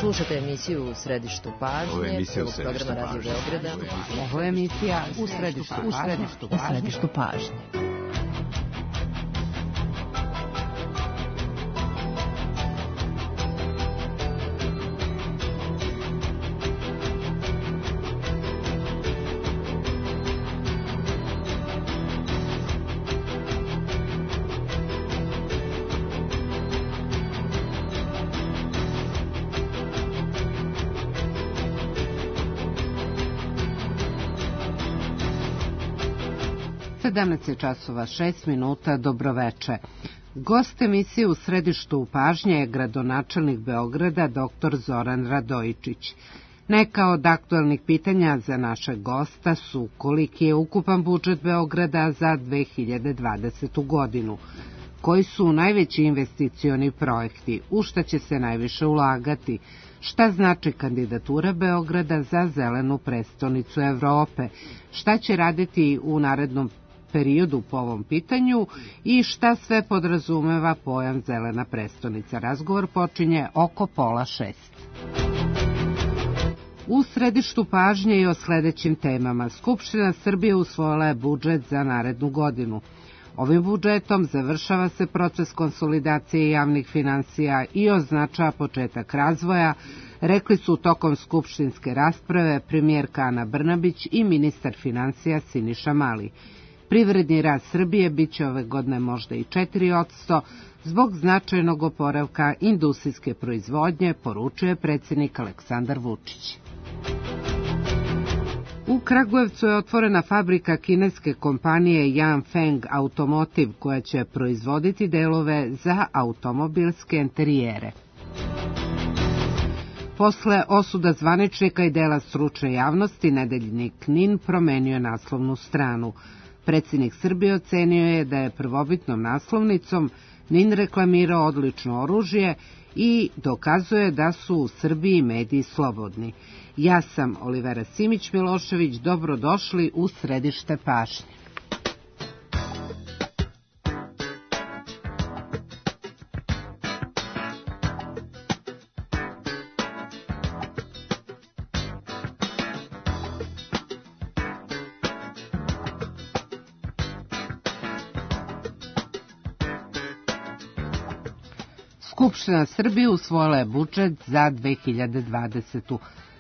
Slušate emisiju U središtu pažnje, programa Radio Beograda. Ovo je emisija U središtu pažnje. Časova 6 minuta, dobroveče. Gost emisije U središtu pažnje je gradonačelnik Beograda dr. Zoran Radojičić. Neka od aktualnih pitanja za našeg gosta su koliki je ukupan budžet Beograda za 2020. godinu, koji su najveći investicioni projekti, u šta će se najviše ulagati, šta znači kandidatura Beograda za zelenu prestonicu Evrope, šta će raditi u narednom periodu po ovom pitanju i šta sve podrazumeva pojam zelena prestonica. Razgovor počinje oko 5:30. U središtu pažnje i o sledećim temama. Skupština Srbije usvojila je budžet za narednu godinu. Ovim budžetom završava se proces konsolidacije javnih finansija i označava početak razvoja, rekli su tokom skupštinske rasprave premijerka Ana Brnabić i ministar finansija Siniša Mali. Privredni rast Srbije biće ove godine možda i 4% zbog značajnog oporavka industrijske proizvodnje, poručuje predsjednik Aleksandar Vučić. U Kragujevcu je otvorena fabrika kineske kompanije Yanfeng Automotive koja će proizvoditi delove za automobilske enterijere. Posle osuda zvaničnika i dela stručne javnosti, nedeljnik NIN promenio je naslovnu stranu. Predsjednik Srbije ocenio je da je prvobitnom naslovnicom NIN reklamirao odlično oružje i dokazuje da su u Srbiji mediji slobodni. Ja sam Olivera Simić-Milošević, dobrodošli u središte pažnje. Skupština Srbije usvojila je budžet za 2020.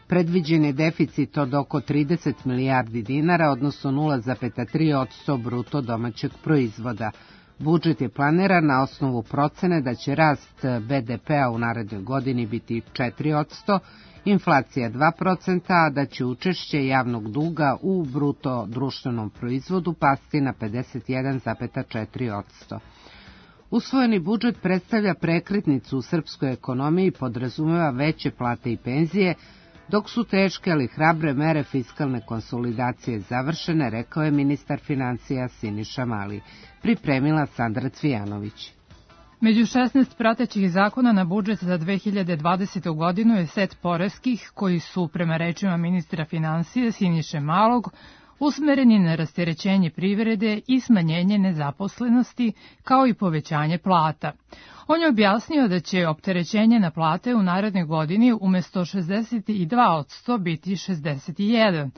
Predviđen je deficit od oko 30 milijardi dinara, odnosno 0,3% bruto domaćeg proizvoda. Budžet je planiran na osnovu procene da će rast BDP-a u narednoj godini biti 4%, inflacija 2%, a da će učešće javnog duga u bruto društvenom proizvodu pasti na 51,4%. Usvojeni budžet predstavlja prekretnicu u srpskoj ekonomiji i podrazumeva veće plate i penzije, dok su teške ali hrabre mere fiskalne konsolidacije završene, rekao je ministar finansija Siniša Mali. Pripremila Sandra Cvijanović. Među 16 pratećih zakona na budžet za 2020. godinu je set poreskih koji su, prema rečima ministra finansija Siniše Malog, usmereni na rasterećenje privrede i smanjenje nezaposlenosti, kao i povećanje plata. On je objasnio da će opterećenje na plate u narednoj godini umesto 62% biti 61%,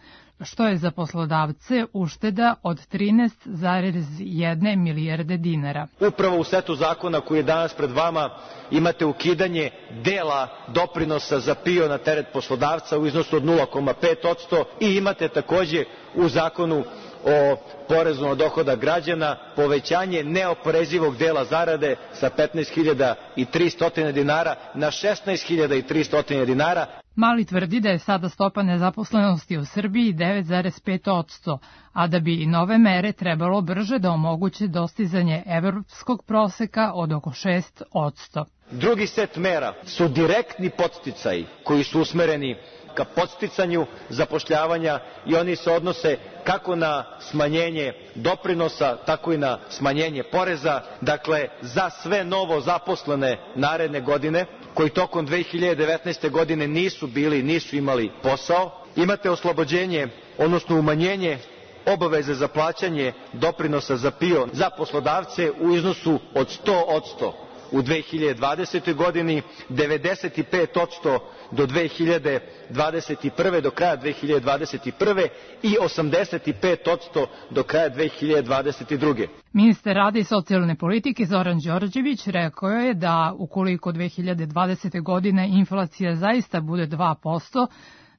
što je za poslodavce ušteda od 13,1 milijarde dinara. Upravo u setu zakona koji je danas pred vama imate ukidanje dela doprinosa za PIO na teret poslodavca u iznosu od 0,5% i imate takođe u zakonu o porezu na dohodak građana povećanje neoporezivog dela zarade sa 15.300 dinara na 16.300 dinara. Mali tvrdi da je sada stopa nezaposlenosti u Srbiji 9,5%, a da bi i nove mere trebalo brže da omoguće dostizanje evropskog proseka od oko 6%. Drugi set mera su direktni podsticaji koji su usmereni ka podsticanju zapošljavanja i oni se odnose kako na smanjenje doprinosa, tako i na smanjenje poreza. Dakle, za sve novo zaposlene naredne godine, koji tokom 2019. godine nisu imali posao, imate oslobođenje, odnosno umanjenje obaveze za plaćanje doprinosa za PIO za poslodavce u iznosu od 100%. u 2020. godini, 95% do 2021. do kraja 2021. i 85% do kraja 2022. Ministar rada i socijalne politike Zoran Đorđević rekao je da ukoliko 2020. godine inflacija zaista bude 2%,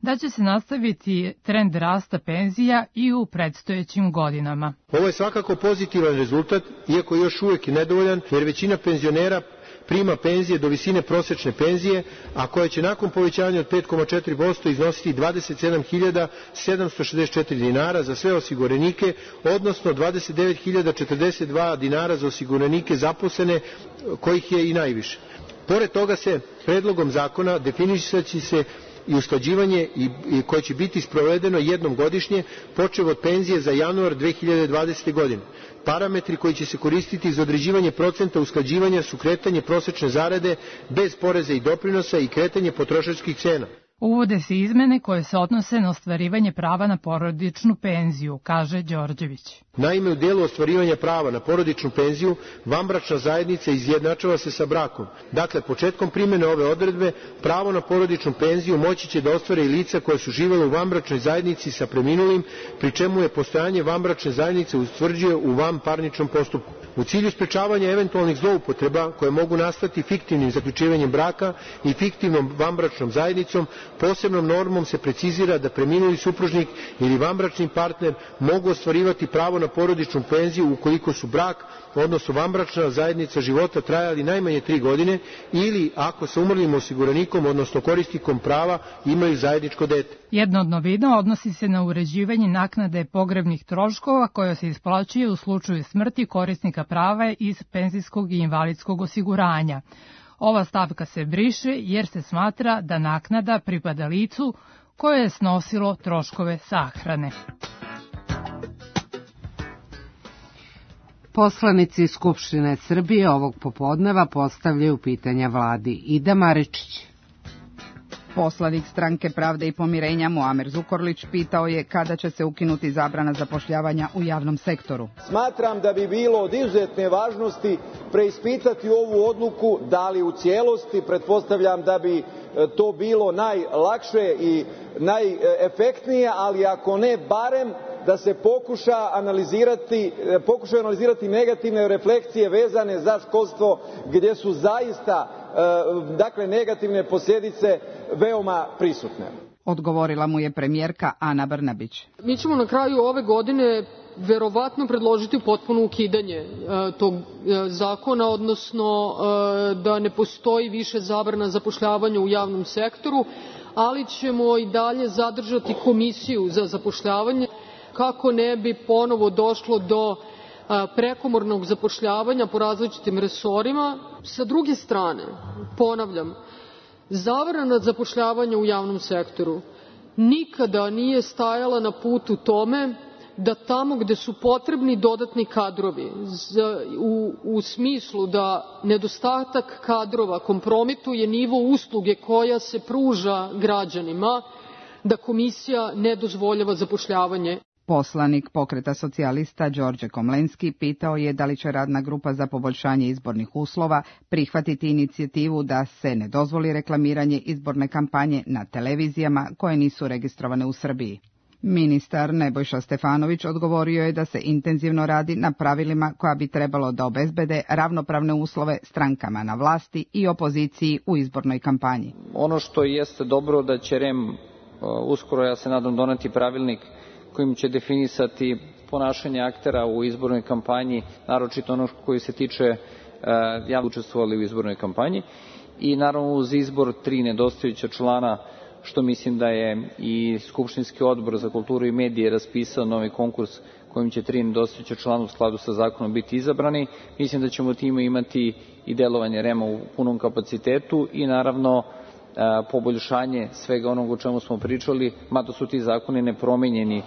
da će se nastaviti trend rasta penzija i u predstojećim godinama. Ovo je svakako pozitivan rezultat, iako još uvijek nedovoljan, jer većina penzionera prima penzije do visine prosečne penzije, a koja će nakon povećanja od 5,4% iznositi 27.764 dinara za sve osiguranike, odnosno 29.042 dinara za osiguranike zaposlene, kojih je i najviše. Pored toga se predlogom zakona definisaće se i usklađivanje koje će biti sprovedeno jednom godišnje, počev od penzije za januar 2020. godine. Parametri koji će se koristiti za određivanje procenta usklađivanja su kretanje prosečne zarade bez poreza i doprinosa i kretanje potrošačkih cena. Uvode se izmene koje se odnose na ostvarivanje prava na porodičnu penziju, kaže Đorđević. Naime, u delu ostvarivanja prava na porodičnu penziju, vanbračna zajednica izjednačava se sa brakom. Dakle, početkom primjene ove odredbe, pravo na porodičnu penziju moći će da ostvare i lica koja su živjela u vanbračnoj zajednici sa preminulim, pri čemu je postojanje vanbračne zajednice utvrđuje u vanparničnom postupku. U cilju sprečavanja eventualnih zloupotreba koje mogu nastati fiktivnim zaključivanjem braka i fiktivnom vanbračnom zajednicom, posebnom normom se precizira da preminuli supružnik ili vanbračni partner mogu ostvarivati pravo na porodičnu penziju ukoliko su brak, odnosno vanbračna zajednica života trajali najmanje 3 godine ili ako sa umrlim osiguranikom, odnosno korisnikom prava imaju zajedničko dete. Jedna od novina odnosi se na uređivanje naknade pogrebnih troškova koja se isplaćuje u slučaju smrti korisnika prava iz penzijskog i invalidskog osiguranja. Ova stavka se briše jer se smatra da naknada pripada licu koje je snosilo troškove sahrane. Poslanici Skupštine Srbije ovog popodneva postavljaju pitanja vladi. Ida Maričić. Poslanik Stranke pravde i pomirenja Muamer Zukorlić pitao je kada će se ukinuti zabrana zapošljavanja u javnom sektoru. Smatram da bi bilo od izuzetne važnosti preispitati ovu odluku, da li u cijelosti, pretpostavljam da bi to bilo najlakše i najefektnije, ali ako ne, barem da se pokušaju analizirati negativne refleksije vezane za školstvo, gdje su zaista negativne posljedice veoma prisutne. Odgovorila mu je premijerka Ana Brnabić. Mi ćemo na kraju ove godine verovatno predložiti potpuno ukidanje tog zakona, odnosno da ne postoji više zabrana zapošljavanja u javnom sektoru, ali ćemo i dalje zadržati komisiju za zapošljavanje kako ne bi ponovo došlo do prekomornog zapošljavanja po različitim resorima. Sa druge strane, ponavljam, zabrana zapošljavanja u javnom sektoru nikada nije stajala na putu tome da tamo gde su potrebni dodatni kadrovi u smislu da nedostatak kadrova kompromituje nivo usluge koja se pruža građanima, da komisija ne dozvoljava zapošljavanje. Poslanik Pokreta socijalista Đorđe Komlenski pitao je da li će radna grupa za poboljšanje izbornih uslova prihvatiti inicijativu da se ne dozvoli reklamiranje izborne kampanje na televizijama koje nisu registrovane u Srbiji. Ministar Nebojša Stefanović odgovorio je da se intenzivno radi na pravilima koja bi trebalo da obezbede ravnopravne uslove strankama na vlasti i opoziciji u izbornoj kampanji. Ono što jeste dobro da će REM uskoro, ja se nadam, doneti pravilnik kojim će definisati ponašanje aktera u izbornoj kampanji, naročito ono koji se tiče javno učestvovali u izbornoj kampanji, i naravno uz izbor 3 nedostajuća člana, što mislim da je i Skupštinski odbor za kulturu i medije raspisao novi konkurs kojim će 3 nedostajuća člana u skladu sa zakonom biti izabrani. Mislim da ćemo time imati i delovanje REM-a u punom kapacitetu i naravno poboljšanje svega onog o čemu smo pričali, mada su ti zakoni nepromenjeni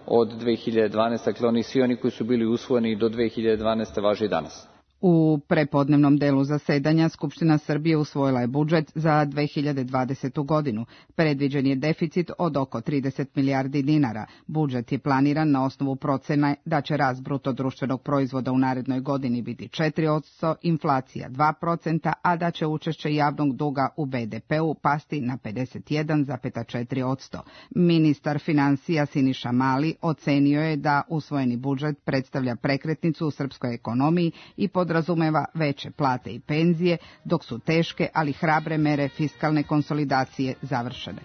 od 2012. Dakle, svi oni koji su bili usvojeni do 2012. važe i danas. U prepodnevnom delu zasedanja Skupština Srbije usvojila je budžet za 2020. godinu. Predviđen je deficit od oko 30 milijardi dinara. Budžet je planiran na osnovu procene da će rast bruto društvenog proizvoda u narednoj godini biti 4%, inflacija 2%, a da će učešće javnog duga u BDP-u pasti na 51,4%. Ministar finansija Siniša Mali ocenio je da usvojeni budžet predstavlja prekretnicu u srpskoj ekonomiji i podrazumeva veće plate i penzije, dok su teške, ali hrabre mere fiskalne konsolidacije završene.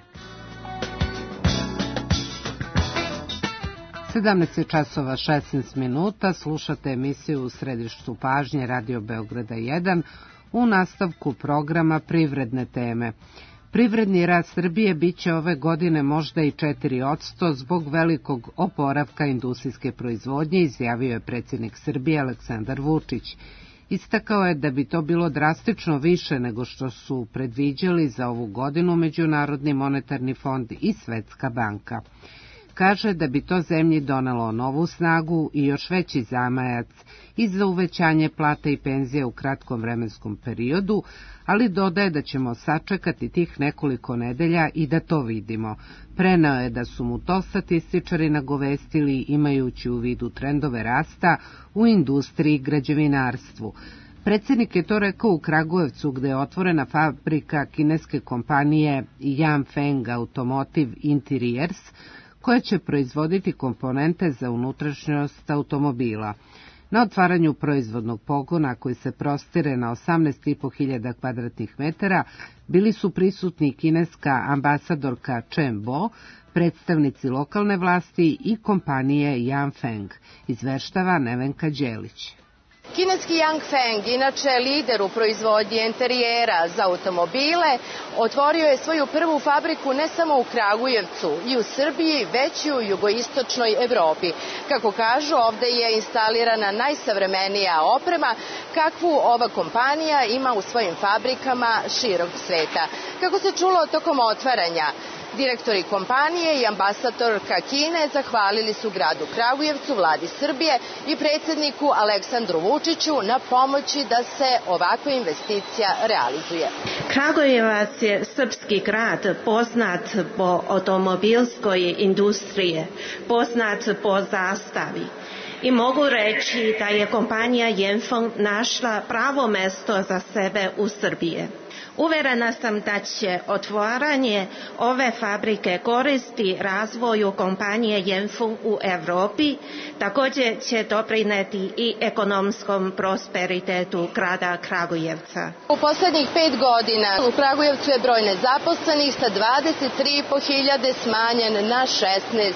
17 časova 16 minuta, slušate emisiju U središtu pažnje Radio Beograda 1 u nastavku programa Privredne teme. Privredni rast Srbije biće ove godine možda i 4% zbog velikog oporavka industrijske proizvodnje, izjavio je predsjednik Srbije Aleksandar Vučić. Istakao je da bi to bilo drastično više nego što su predviđali za ovu godinu Međunarodni monetarni fond i Svetska banka. Kaže da bi to zemlji donelo novu snagu i još veći zamajac i za uvećanje plata i penzija u kratkom vremenskom periodu, ali dodaje da ćemo sačekati tih nekoliko nedelja i da to vidimo. Preneo je da su mu to statističari nagovestili imajući u vidu trendove rasta u industriji i građevinarstvu. Predsjednik je to rekao u Kragujevcu, gde je otvorena fabrika kineske kompanije Yanfeng Automotive Interiors, koja će proizvoditi komponente za unutrašnjost automobila. Na otvaranju proizvodnog pogona, koji se prostire na 18.500 kvadratnih metara, bili su prisutni kineska ambasadorka Chen Bo, predstavnici lokalne vlasti i kompanije Yanfeng, izveštava Nevenka Đelić. Kineski Yanfeng, inače lider u proizvodnji interijera za automobile, otvorio je svoju prvu fabriku ne samo u Kragujevcu i u Srbiji, već i u jugoistočnoj Evropi. Kako kažu, ovde je instalirana najsavremenija oprema kakvu ova kompanija ima u svojim fabrikama širom sveta. Kako se čulo tokom otvaranja, direktori kompanije i ambasadorka Kine zahvalili su gradu Kragujevcu, vladi Srbije i predsjedniku Aleksandru Vučiću na pomoći da se ovakva investicija realizuje. Kragujevac je srpski grad poznat po automobilskoj industriji, poznat po zastavi. I mogu reći da je kompanija Yanfeng našla pravo mesto za sebe u Srbiji. Uverena sam da će otvaranje ove fabrike koristi razvoju kompanije Yanfeng u Evropi, također će doprineti i ekonomskom prosperitetu grada Kragujevca. U poslednjih 5 godina u Kragujevcu je broj nezaposlenih sa 23.500 smanjen na 16.000.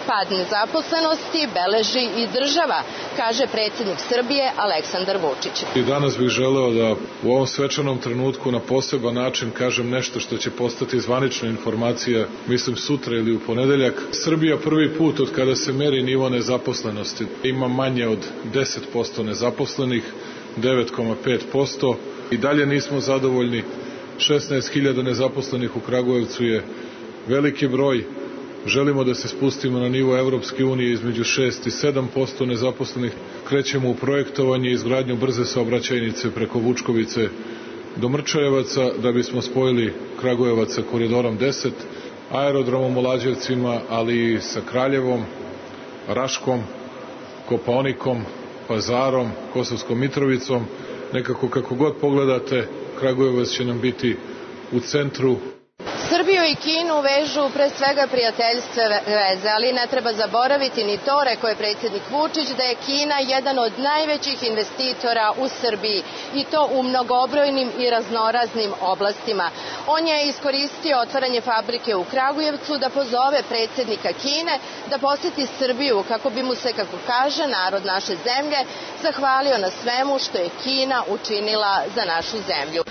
Pad nezaposlenosti beleži i država, kaže predsjednik Srbije Aleksandar Vučić. I danas bih želeo da u ovom svečanom trenutku na poseban način kažem nešto što će postati zvanična informacija, mislim sutra ili u ponedeljak. Srbija prvi put od kada se meri nivo nezaposlenosti ima manje od 10% nezaposlenih, 9,5%. I dalje nismo zadovoljni. 16.000 nezaposlenih u Kragujevcu je veliki broj. Želimo da se spustimo na nivo Evropske unije između 6 i 7% nezaposlenih. Krećemo u projektovanje i izgradnju brze saobraćajnice preko Vučkovice do Mrčajevaca da bismo spojili Kragujevac sa koridorom 10, aerodromom u Lađevcima, ali i sa Kraljevom, Raškom, Kopaonikom, Pazarom, Kosovskom Mitrovicom. Nekako kako god pogledate, Kragujevac će nam biti u centru. Srbiju i Kinu vežu pre svega prijateljstve veze, ali ne treba zaboraviti ni to, rekao je predsjednik Vučić, da je Kina jedan od najvećih investitora u Srbiji i to u mnogobrojnim i raznoraznim oblastima. On je iskoristio otvaranje fabrike u Kragujevcu da pozove predsjednika Kine da poseti Srbiju kako bi mu se, kako kaže narod naše zemlje, zahvalio na svemu što je Kina učinila za našu zemlju.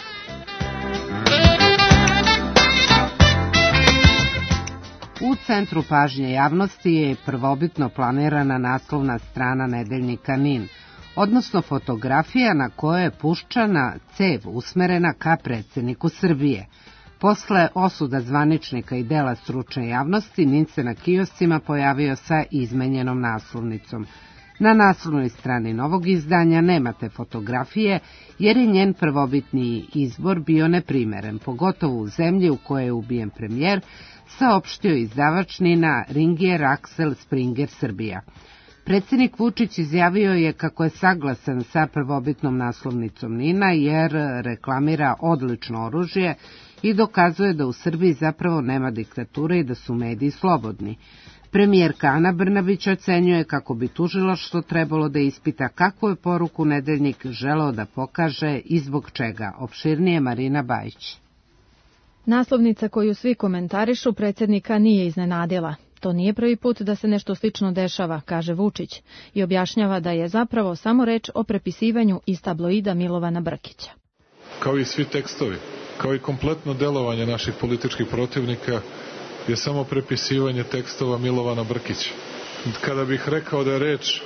U centru pažnje javnosti je prvobitno planirana naslovna strana nedeljnika NIN, odnosno fotografija na kojoj je puščana cev usmerena ka predsjedniku Srbije. Posle osuda zvaničnika i dela stručne javnosti, NIN se na kioscima pojavio sa izmenjenom naslovnicom. Na naslovnoj strani novog izdanja nemate fotografije, jer je njen prvobitni izbor bio neprimeren, pogotovo u zemlji u kojoj je ubijen premijer, saopštio izdavač Nina Ringier Axel Springer Srbija. Predsjednik Vučić izjavio je kako je saglasan sa prvobitnom naslovnicom Nina jer reklamira odlično oružje i dokazuje da u Srbiji zapravo nema diktature i da su mediji slobodni. Premijerka Ana Brnabić ocenjuje kako bi tužilaštvo trebalo da ispita kakvu je poruku Nedeljnik želeo da pokaže i zbog čega. Opširnije Marina Bajić. Naslovnica koju svi komentarišu predsjednika nije iznenadila. To nije prvi put da se nešto slično dešava, kaže Vučić, i objašnjava da je zapravo samo reč o prepisivanju iz tabloida Milovana Brkića. Kao i svi tekstovi, kao i kompletno delovanje naših političkih protivnika je samo prepisivanje tekstova Milovana Brkića. Kada bih rekao da je reč,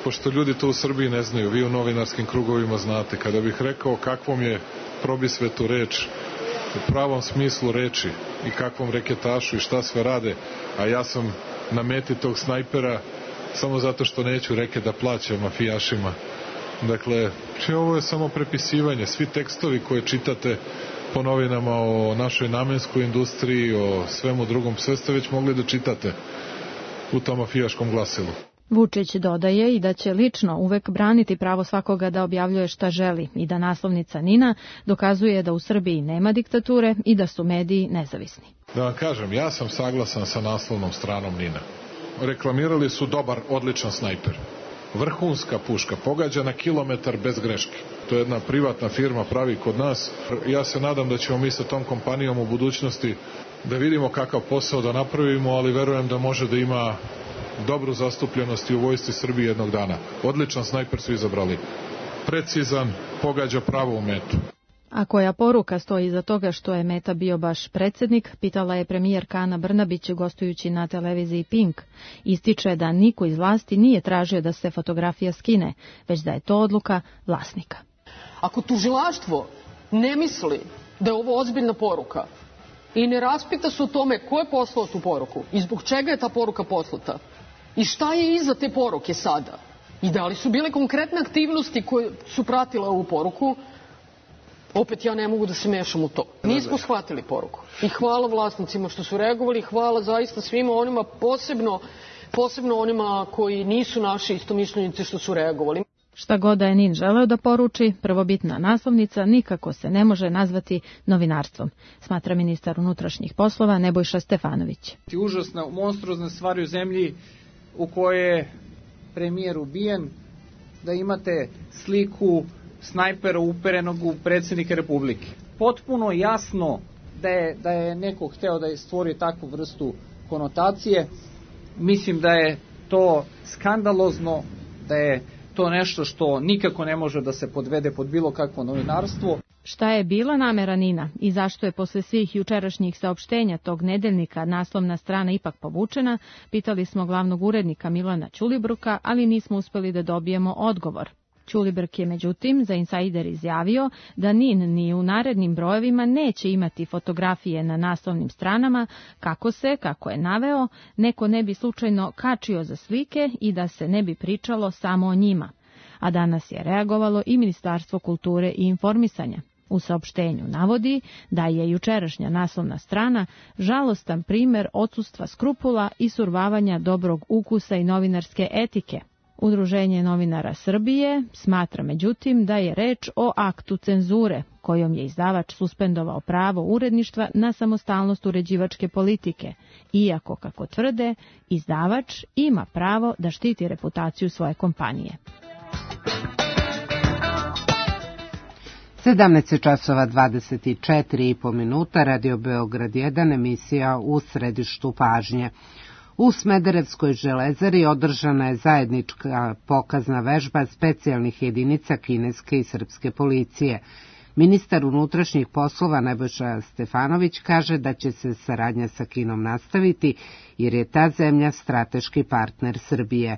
pošto ljudi to u Srbiji ne znaju, vi u novinarskim krugovima znate, kada bih rekao kakvom je probisvetu reč, u pravom smislu reči i kakvom reketašu i šta sve rade, a ja sam na meti tog snajpera samo zato što neću reke da plaćam mafijašima. Dakle, ovo je samo prepisivanje. Svi tekstovi koje čitate po novinama o našoj namenskoj industriji, o svemu drugom, sve ste već mogli da čitate u tom mafijaškom glasilu. Vučić dodaje i da će lično uvek braniti pravo svakoga da objavljuje šta želi i da naslovnica Nina dokazuje da u Srbiji nema diktature i da su mediji nezavisni. Da vam kažem, ja sam saglasan sa naslovnom stranom Nina. Reklamirali su dobar, odličan snajper. Vrhunska puška, pogađa na kilometar bez greške. To je jedna privatna firma, pravi kod nas. Ja se nadam da ćemo mi sa tom kompanijom u budućnosti da vidimo kakav posao da napravimo, ali verujem da može da ima dobru zastupljenost i u vojsci Srbije jednog dana. Odličan snajper su izabrali. Precizan, pogađa pravo u metu. A koja poruka stoji iza toga što je meta bio baš predsjednik, pitala je premijerka Ana Brnabić gostujući na televiziji Pink. Ističe da niko iz vlasti nije tražio da se fotografija skine, već da je to odluka vlasnika. Ako tužilaštvo ne misli da je ovo ozbiljna poruka i ne raspita se o tome ko je poslao tu poruku i zbog čega je ta poruka poslata i šta je iza te poruke sada i da li su bile konkretne aktivnosti koje su pratile ovu poruku, opet ja ne mogu da se mešam u to. Nismo shvatili poruku. I hvala vlasnicima što su reagovali, hvala zaista svima onima, posebno onima koji nisu naši istomišljenici što su reagovali. Šta god da je Nin želeo da poruči, prvobitna naslovnica nikako se ne može nazvati novinarstvom, smatra ministar unutrašnjih poslova Nebojša Stefanović. Užasna, monstruozna stvari u zemlji u kojoj je premijer ubijen, da imate sliku snajpera uperenog u predsjednika Republike. Potpuno jasno da je neko hteo da je stvori takvu vrstu konotacije. Mislim da je to skandalozno, da je to nešto što nikako ne može da se podvede pod bilo kakvo novinarstvo. Šta je bila namera Nina i zašto je posle svih jučerašnjih saopštenja tog nedeljnika naslovna strana ipak povučena, pitali smo glavnog urednika Milana Ćulibruka, ali nismo uspeli da dobijemo odgovor. Ćulibrk je međutim za Insider izjavio da Nin ni u narednim brojevima neće imati fotografije na naslovnim stranama kako je naveo, neko ne bi slučajno kačio za slike i da se ne bi pričalo samo o njima. A danas je reagovalo i Ministarstvo kulture i informisanja. U saopštenju navodi da je jučerašnja naslovna strana žalostan primer odsustva skrupula i survavanja dobrog ukusa i novinarske etike. Udruženje novinara Srbije smatra međutim da je reč o aktu cenzure, kojom je izdavač suspendovao pravo uredništva na samostalnost uređivačke politike, iako, kako tvrde, izdavač ima pravo da štiti reputaciju svoje kompanije. 17:24 Radio Beograd 1, emisija U središtu pažnje. U Smederevskoj železari održana je zajednička pokazna vežba specijalnih jedinica kineske i srpske policije. Ministar unutrašnjih poslova Nebojša Stefanović kaže da će se saradnja sa Kinom nastaviti jer je ta zemlja strateški partner Srbije.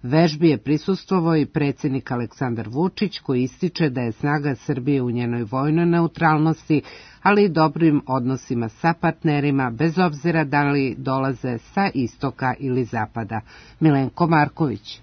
Vežbi je prisustvovao i predsjednik Aleksandar Vučić koji ističe da je snaga Srbije u njenoj vojnoj neutralnosti, ali i dobrim odnosima sa partnerima, bez obzira da li dolaze sa istoka ili zapada. Milenko Marković.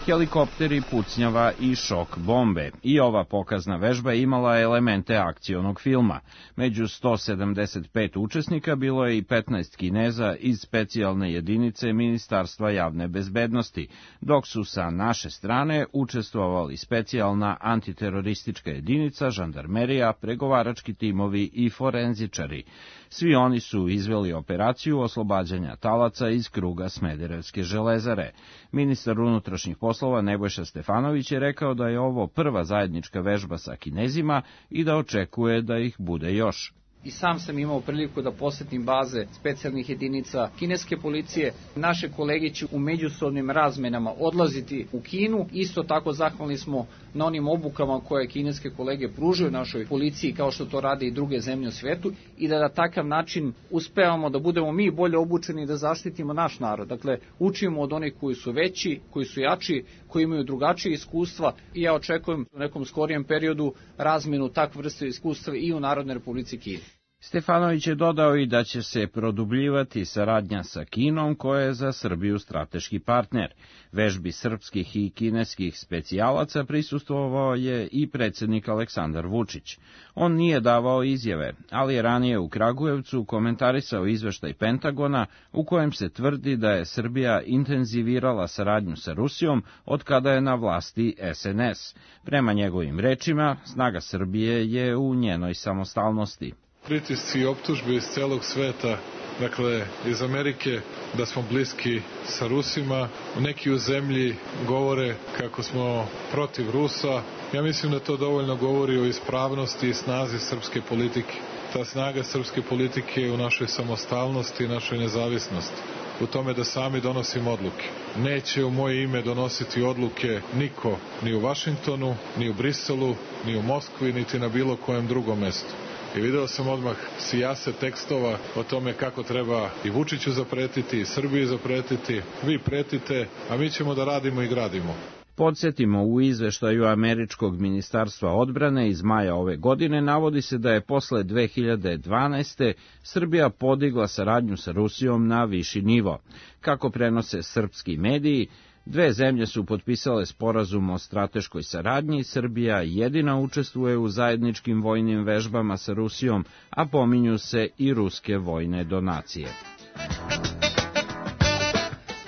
helikopteri, pucnjava i šok bombe. I ova pokazna vežba imala elemente akcionog filma. Među 175 učesnika bilo je i 15 Kineza iz specijalne jedinice Ministarstva javne bezbednosti, dok su sa naše strane učestvovali specijalna antiteroristička jedinica, žandarmerija, pregovarački timovi i forenzičari. Svi oni su izveli operaciju oslobađanja talaca iz kruga Smederevske železare. Ministar unutrašnjih poslova Nebojša Stefanović je rekao da je ovo prva zajednička vežba sa Kinezima i da očekuje da ih bude još. I sam sam imao priliku da posetim baze specijalnih jedinica kineske policije. Naše kolege će u međusobnim razmenama odlaziti u Kinu. Isto tako zahvalni smo na onim obukama koje kineske kolege pružaju našoj policiji, kao što to rade i druge zemlje u svetu, i da na takav način uspevamo da budemo mi bolje obučeni i da zaštitimo naš narod. Dakle, učimo od onih koji su veći, koji su jači, koji imaju drugačije iskustva, i ja očekujem u nekom skorijem periodu razmenu takve vrste iskustva i u Narodnoj Republici Kini. Stefanović je dodao i da će se produbljivati saradnja sa Kinom, koja je za Srbiju strateški partner. Vežbi srpskih i kineskih specijalaca prisustvovao je i predsjednik Aleksandar Vučić. On nije davao izjave, ali je ranije u Kragujevcu komentarisao izveštaj Pentagona u kojem se tvrdi da je Srbija intenzivirala saradnju sa Rusijom od kada je na vlasti SNS. Prema njegovim rečima, snaga Srbije je u njenoj samostalnosti. Pritisci i optužbe iz celog sveta, dakle iz Amerike, da smo bliski sa Rusima. Neki u zemlji govore kako smo protiv Rusa. Ja mislim da to dovoljno govori o ispravnosti i snazi srpske politike. Ta snaga srpske politike je u našoj samostalnosti i našoj nezavisnosti. U tome da sami donosimo odluke. Neće u moje ime donositi odluke niko, ni u Vašingtonu, ni u Briselu, ni u Moskvi, niti na bilo kojem drugom mestu. I video sam odmah sijase tekstova o tome kako treba i Vučiću zapretiti, i Srbiji zapretiti. Vi pretite, a mi ćemo da radimo i gradimo. Podsjetimo, u izveštaju Američkog ministarstva odbrane iz maja ove godine navodi se da je posle 2012. Srbija podigla saradnju sa Rusijom na viši nivo. Kako prenose srpski mediji, dve zemlje su potpisale sporazum o strateškoj saradnji, Srbija jedina učestvuje u zajedničkim vojnim vežbama sa Rusijom, a pominju se i ruske vojne donacije.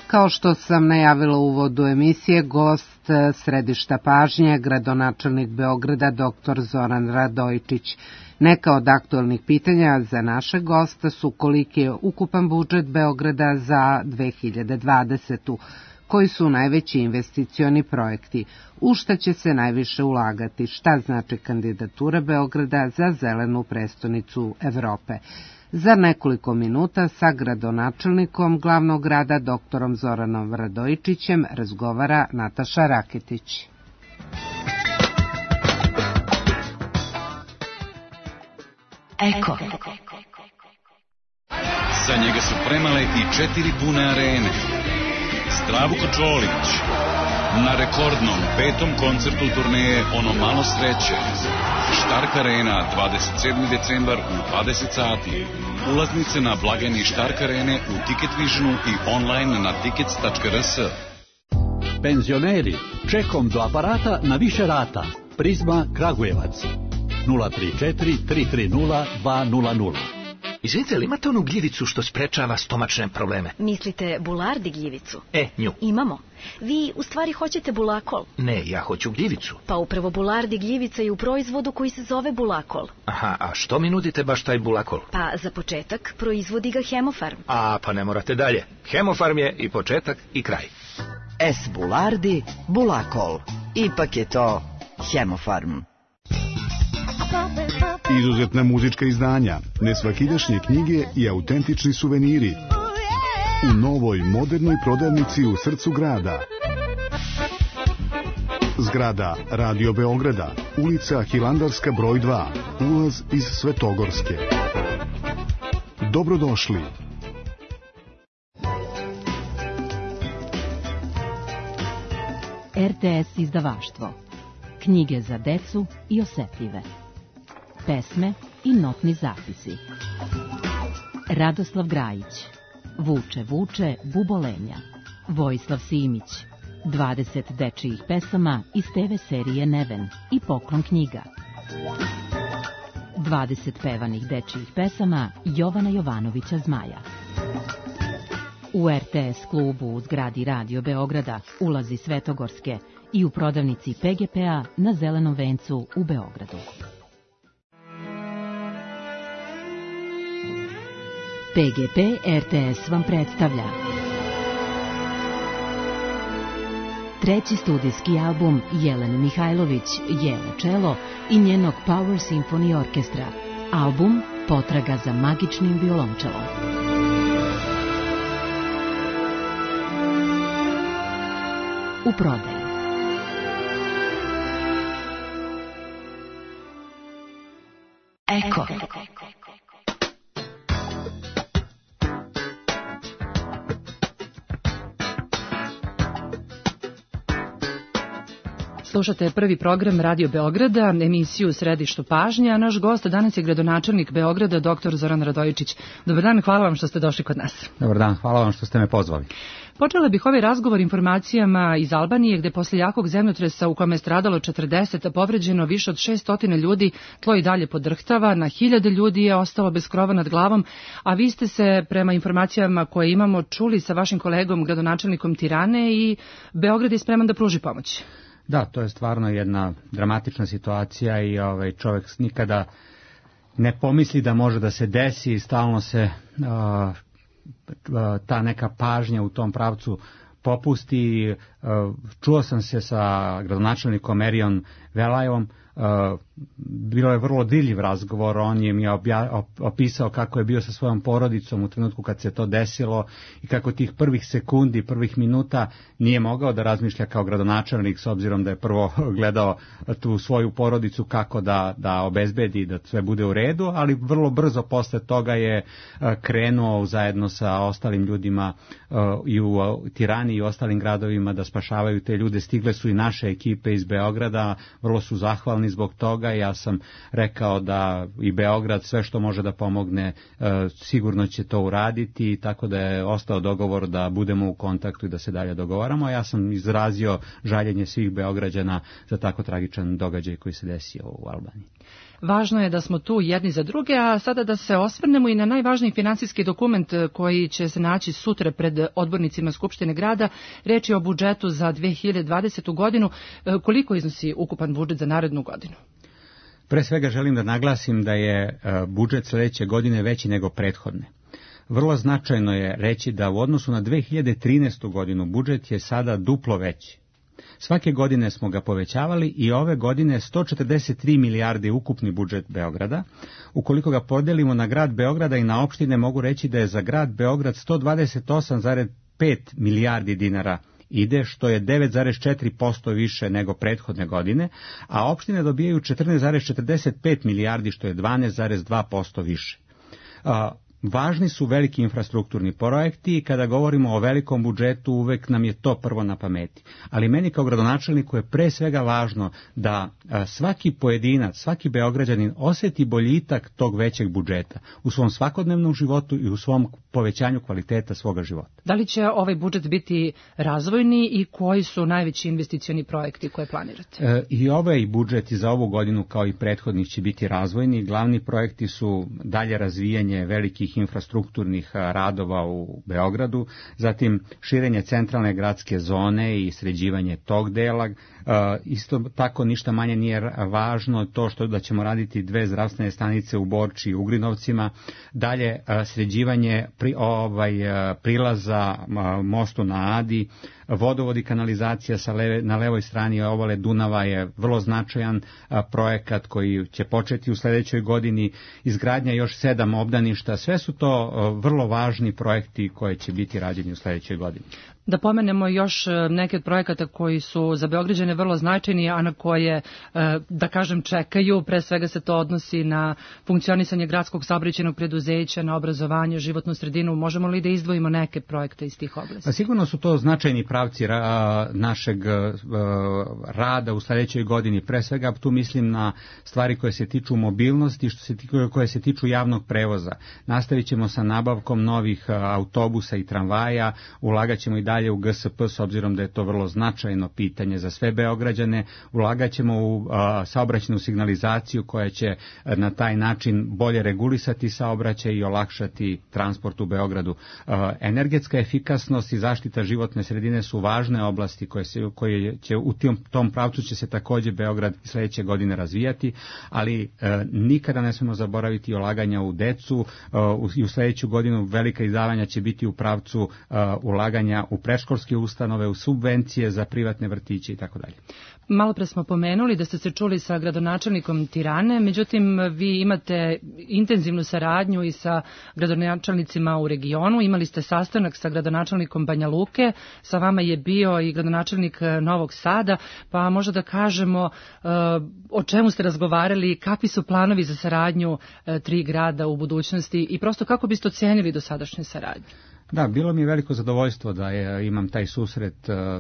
Kao što sam najavila u uvodu emisije, gost središta pažnje, gradonačelnik Beograda dr. Zoran Radojičić. Neka od aktualnih pitanja za naše gosta su koliki je ukupan budžet Beograda za 2020. Koji su najveći investicioni projekti, u šta će se najviše ulagati, šta znači kandidatura Beograda za zelenu prestonicu Evrope. Za nekoliko minuta sa gradonačelnikom glavnog grada dr. Zoranom Radojičićem razgovara Nataša Raketić. Eko. Za njega su premale i 4 pune arene. Zdravko Čolić na rekordnom 5. koncertu turneje Ono malo sreće. Štark Arena, 27. decembar u 20 sati. Ulaznice na blagajni Štark Arene u Ticket Visionu i online na tickets.rs. Penzioneri, čekom do aparata na više rata. Prizma Kragujevac 034 330 200. Izvinite, ali imate onu gljivicu što sprečava stomačne probleme? Mislite Bulardi gljivicu? Nju. Imamo. Vi u stvari hoćete Bulakol? Ne, ja hoću gljivicu. Pa upravo Bulardi gljivica je u proizvodu koji se zove Bulakol. Aha, a što mi nudite baš taj Bulakol? Pa za početak proizvodi ga Hemofarm. Pa ne morate dalje. Hemofarm je i početak i kraj. S. Bulardi, Bulakol. Ipak je to Hemofarm. Izuzetna muzička izdanja, nesvakidašnje knjige i autentični suveniri u novoj modernoj prodavnici u srcu grada. Zgrada Radio Beograda, ulica Hilandarska broj 2, ulaz iz Svetogorske. Dobrodošli. RTS izdavaštvo. Knjige za decu i osetljive. Pesme i notni zapisi. Radoslav Grajić. Vuče, vuče, bubolenja. Vojislav Simić. 20 dečijih pesama iz TV serije Neven i poklon knjiga. 20 pevanih dečijih pesama Jovana Jovanovića Zmaja. U RTS klubu u zgradi Radio Beograda ulazi Svetogorske i u prodavnici PGP-a na Zelenom vencu u Beogradu. PGP RTS vam predstavlja treći studijski album Jelene Mihajlović, Jelo čelo i njenog Power Symphony Orkestra. Album Potraga za magičnim violončelom. U prodaji. Eko. Slušate prvi program Radio Beograda, emisiju Središtu pažnje, a naš gost danas je gradonačelnik Beograda, dr. Zoran Radojičić. Dobar dan, hvala vam što ste došli kod nas. Dobar dan, hvala vam što ste me pozvali. Počela bih ovaj razgovor informacijama iz Albanije, gde posle jakog zemljotresa u kome je stradalo 40, a povređeno više od 600 ljudi, tlo i dalje podrhtava, na 1000 ljudi je ostalo bez krova nad glavom, a vi ste se, prema informacijama koje imamo, čuli sa vašim kolegom, gradonačelnikom Tirane, i Beograd je spreman da pruži pomoć. Da, to je stvarno jedna dramatična situacija i čovjek nikada ne pomisli da može da se desi i stalno se ta neka pažnja u tom pravcu popusti. Čuo sam se sa gradonačelnikom Erion Velajevom, bilo je vrlo dirljiv razgovor, on je mi opisao kako je bio sa svojom porodicom u trenutku kad se to desilo i kako tih prvih sekundi, prvih minuta nije mogao da razmišlja kao gradonačelnik, s obzirom da je prvo gledao tu svoju porodicu kako da obezbedi da sve bude u redu, ali vrlo brzo posle toga je krenuo zajedno sa ostalim ljudima i u Tirani i u ostalim gradovima da spašavaju te ljude. Stigle su i naše ekipe iz Beograda, vrlo su zahvalni zbog toga. Ja sam rekao da i Beograd sve što može da pomogne sigurno će to uraditi, tako da je ostao dogovor da budemo u kontaktu i da se dalje dogovaramo. Ja sam izrazio žaljenje svih Beograđana za tako tragičan događaj koji se desio u Albaniji. Važno je da smo tu jedni za druge, a sada da se osvrnemo i na najvažniji finansijski dokument koji će se naći sutra pred odbornicima Skupštine grada. Reč je o budžetu za 2020. godinu. Koliko iznosi ukupan budžet za narednu godinu? Pre svega želim da naglasim da je budžet sledeće godine veći nego prethodne. Vrlo značajno je reći da u odnosu na 2013. godinu budžet je sada duplo veći. Svake godine smo ga povećavali i ove godine 143 milijarde ukupni budžet Beograda. Ukoliko ga podelimo na grad Beograda i na opštine, mogu reći da je za grad Beograd 128,5 milijardi dinara ide, što je 9,4% više nego prethodne godine, a opštine dobijaju 14,45 milijardi, što je 12,2% više. Važni su veliki infrastrukturni projekti i kada govorimo o velikom budžetu uvek nam je to prvo na pameti. Ali meni kao gradonačelniku je pre svega važno da svaki pojedinac, svaki Beograđanin oseti boljitak tog većeg budžeta u svom svakodnevnom životu i u svom povećanju kvaliteta svoga života. Da li će ovaj budžet biti razvojni i koji su najveći investicioni projekti koje planirate? I ovaj budžet i za ovu godinu kao i prethodnih će biti razvojni. Glavni projekti su dalje razvijanje velikih infrastrukturnih radova u Beogradu, zatim širenje centralne gradske zone i sređivanje tog dela. Isto tako ništa manje nije važno to što da ćemo raditi 2 zdravstvene stanice u Borči i Ugrinovcima, dalje sređivanje prilaza mostu na Adi, vodovod i kanalizacija na levoj strani obale Dunava je vrlo značajan projekat koji će početi u sledećoj godini, izgradnja još 7 obdaništa, sve su to vrlo važni projekti koji će biti rađeni u sledećoj godini. Da pomenemo još neke od projekata koji su za Beograđane vrlo značajni, a na koje, da kažem, čekaju. Pre svega se to odnosi na funkcionisanje gradskog saobraćajnog preduzeća, na obrazovanje, životnu sredinu. Možemo li da izdvojimo neke projekte iz tih oblasti? Sigurno su to značajni pravci našeg rada u sledećoj godini. Pre svega tu mislim na stvari koje se tiču mobilnosti, koje se tiču javnog prevoza. Nastavit ćemo sa nabavkom novih autobusa i tramvaja, ulagat ćemo i dalje dalje u GSP, s obzirom da je to vrlo značajno pitanje za sve Beograđane. Ulagaćemo u saobraćajnu signalizaciju koja će na taj način bolje regulisati saobraćaj i olakšati transport u Beogradu. Energetska efikasnost i zaštita životne sredine su važne oblasti koje će u tom pravcu će se takođe Beograd sledeće godine razvijati, ali nikada ne smemo zaboraviti ulaganja u decu i u sledeću godinu velika izdavanja će biti u pravcu ulaganja u predškolske ustanove, u subvencije za privatne vrtiće i tako dalje. Malo pre smo pomenuli da ste se čuli sa gradonačelnikom Tirane, međutim vi imate intenzivnu saradnju i sa gradonačelnicima u regionu. Imali ste sastanak sa gradonačelnikom Banja Luke, sa vama je bio i gradonačelnik Novog Sada, pa možda da kažemo o čemu ste razgovarali, kakvi su planovi za saradnju tri grada u budućnosti i prosto kako biste ocenili dosadašnju saradnju? Da, bilo mi je veliko zadovoljstvo da imam taj susret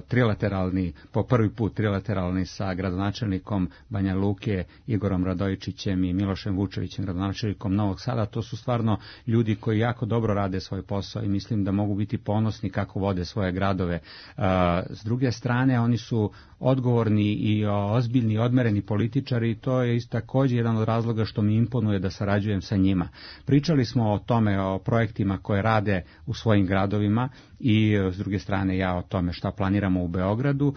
trilateralni, po prvi put trilateralni sa gradonačelnikom Banja Luke, Igorom Radojičićem i Milošem Vučevićem, gradonačelnikom Novog Sada. To su stvarno ljudi koji jako dobro rade svoj posao i mislim da mogu biti ponosni kako vode svoje gradove. S druge strane, oni su odgovorni i ozbiljni, odmereni političari i to je također jedan od razloga što mi imponuje da sarađujem sa njima. Pričali smo o tome, o projektima koje rade u svojim gradovima i s druge strane ja o tome šta planiramo u Beogradu.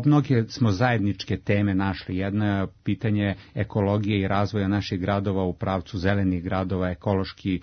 Mnoge smo zajedničke teme našli. Jedno je pitanje ekologije i razvoja naših gradova u pravcu zelenih gradova, ekološki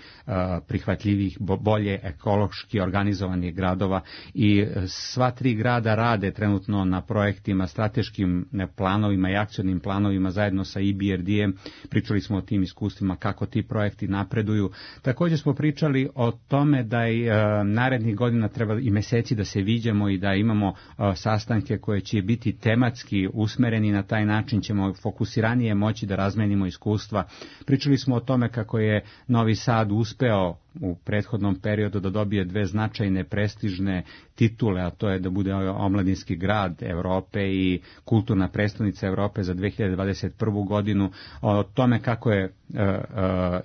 prihvatljivih, bolje ekološki organizovanih gradova i sva tri grada rade trenutno na projektima, strateškim planovima i akcionim planovima zajedno sa EBRD-em. Pričali smo o tim iskustvima kako ti projekti napreduju. Također smo pričali o tome da je narednih godina treba i meseci da se viđamo i da imamo sastanke koje će biti tematski usmereni, na taj način ćemo fokusiranije moći da razmenimo iskustva. Pričali smo o tome kako je Novi Sad uspeo u prethodnom periodu da dobije dve značajne prestižne titule, a to je da bude omladinski grad Evrope i kulturna prestonica Evrope za 2021. godinu. O tome kako je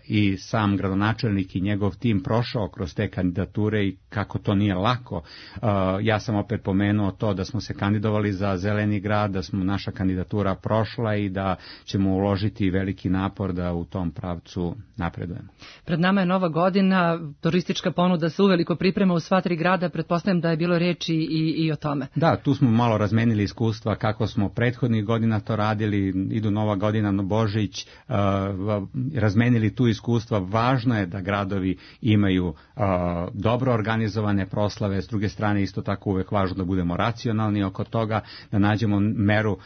i sam gradonačelnik i njegov tim prošao kroz te kandidature i kako to nije lako. Ja sam opet pomenuo to da smo se kandidovali za zeleni grad, da smo naša kandidatura prošla i da ćemo uložiti veliki napor da u tom pravcu napredujemo. Pred nama je nova godina, turistička ponuda se uveliko priprema u sva tri grada, pretpostavljam da je bilo reči i o tome. Da, tu smo malo razmenili iskustva kako smo prethodnih godina to radili, idu nova godina na Božić, razmenili tu iskustva. Važno je da gradovi imaju dobro organizovane proslave, s druge strane isto tako uvek važno da budemo racionalni oko toga, da nađemo meru.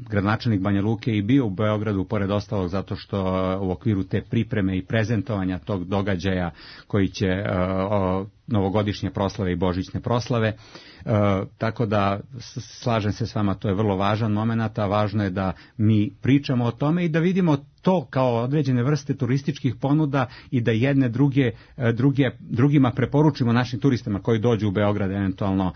Gradonačelnik Banja Luke i bio u Beogradu pored ostalog zato što u okviru te pripreme i prezentovanja tog događaja koji će novogodišnje proslave i božićne proslave. Tako da slažem se s vama, to je vrlo važan moment, a važno je da mi pričamo o tome i da vidimo to kao određene vrste turističkih ponuda i da jedne drugima preporučimo našim turistima koji dođu u Beograd, eventualno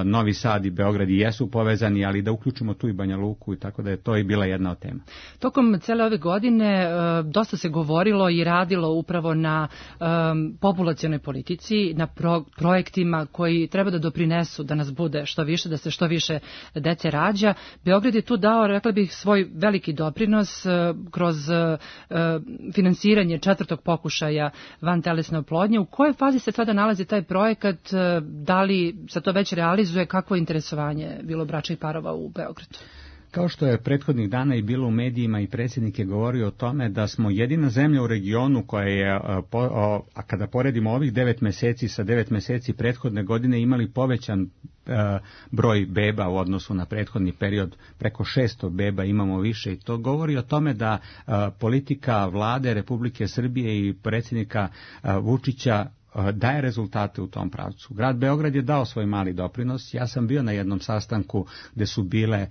Novi Sad i Beograd i jesu povezani, ali da uključimo tu i Banja Luku i tako da je to i bila jedna od tema. Tokom cele ove godine dosta se govorilo i radilo upravo na populacionoj politici, na projektima koji treba da doprinesu da nas bude što više, da se što više dece rađa. Beograd je tu dao, rekla bih, svoj veliki doprinos kroz finansiranje četvrtog pokušaja vantelesne oplodnje. U kojoj fazi se sada nalazi taj projekat? Da li se to već realizuje? Kakvo je interesovanje bilo bračnih parova u Beogradu? Kao što je prethodnih dana i bilo u medijima i predsjednik je govorio o tome da smo jedina zemlja u regionu koja je, a kada poredimo ovih 9 meseci sa 9 meseci prethodne godine, imali povećan broj beba u odnosu na prethodni period, preko 600 beba imamo više i to govori o tome da politika vlade Republike Srbije i predsjednika Vučića daje rezultate u tom pravcu. Grad Beograd je dao svoj mali doprinos. Ja sam bio na jednom sastanku gde su bile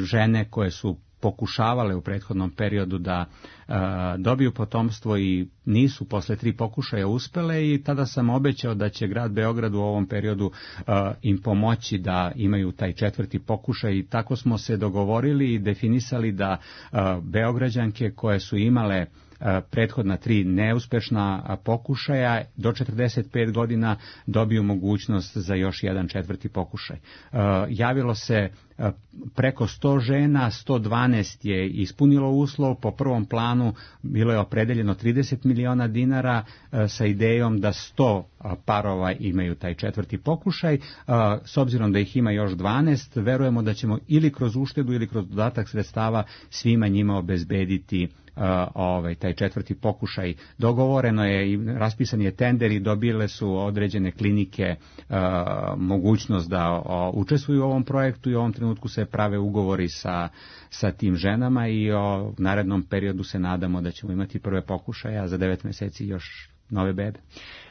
žene koje su pokušavale u prethodnom periodu da dobiju potomstvo i nisu posle 3 pokušaja uspele i tada sam obećao da će grad Beograd u ovom periodu im pomoći da imaju taj 4. pokušaj i tako smo se dogovorili i definisali da Beograđanke koje su imale prethodna 3 neuspešna pokušaja, do 45 godina dobiju mogućnost za još jedan 4. pokušaj. Javilo se preko 100 žena, 112 je ispunilo uslov. Po prvom planu bilo je opredeljeno 30 miliona dinara sa idejom da 100 parova imaju taj 4. pokušaj. S obzirom da ih ima još 12, verujemo da ćemo ili kroz uštedu ili kroz dodatak sredstava svima njima obezbediti taj 4. pokušaj. Dogovoreno je i raspisan je tender i dobile su određene klinike mogućnost da učestvuju u ovom projektu i u ovom trenutku se prave ugovori sa tim ženama i u narednom periodu se nadamo da ćemo imati prve pokušaje, a za 9 meseci još nove bebe.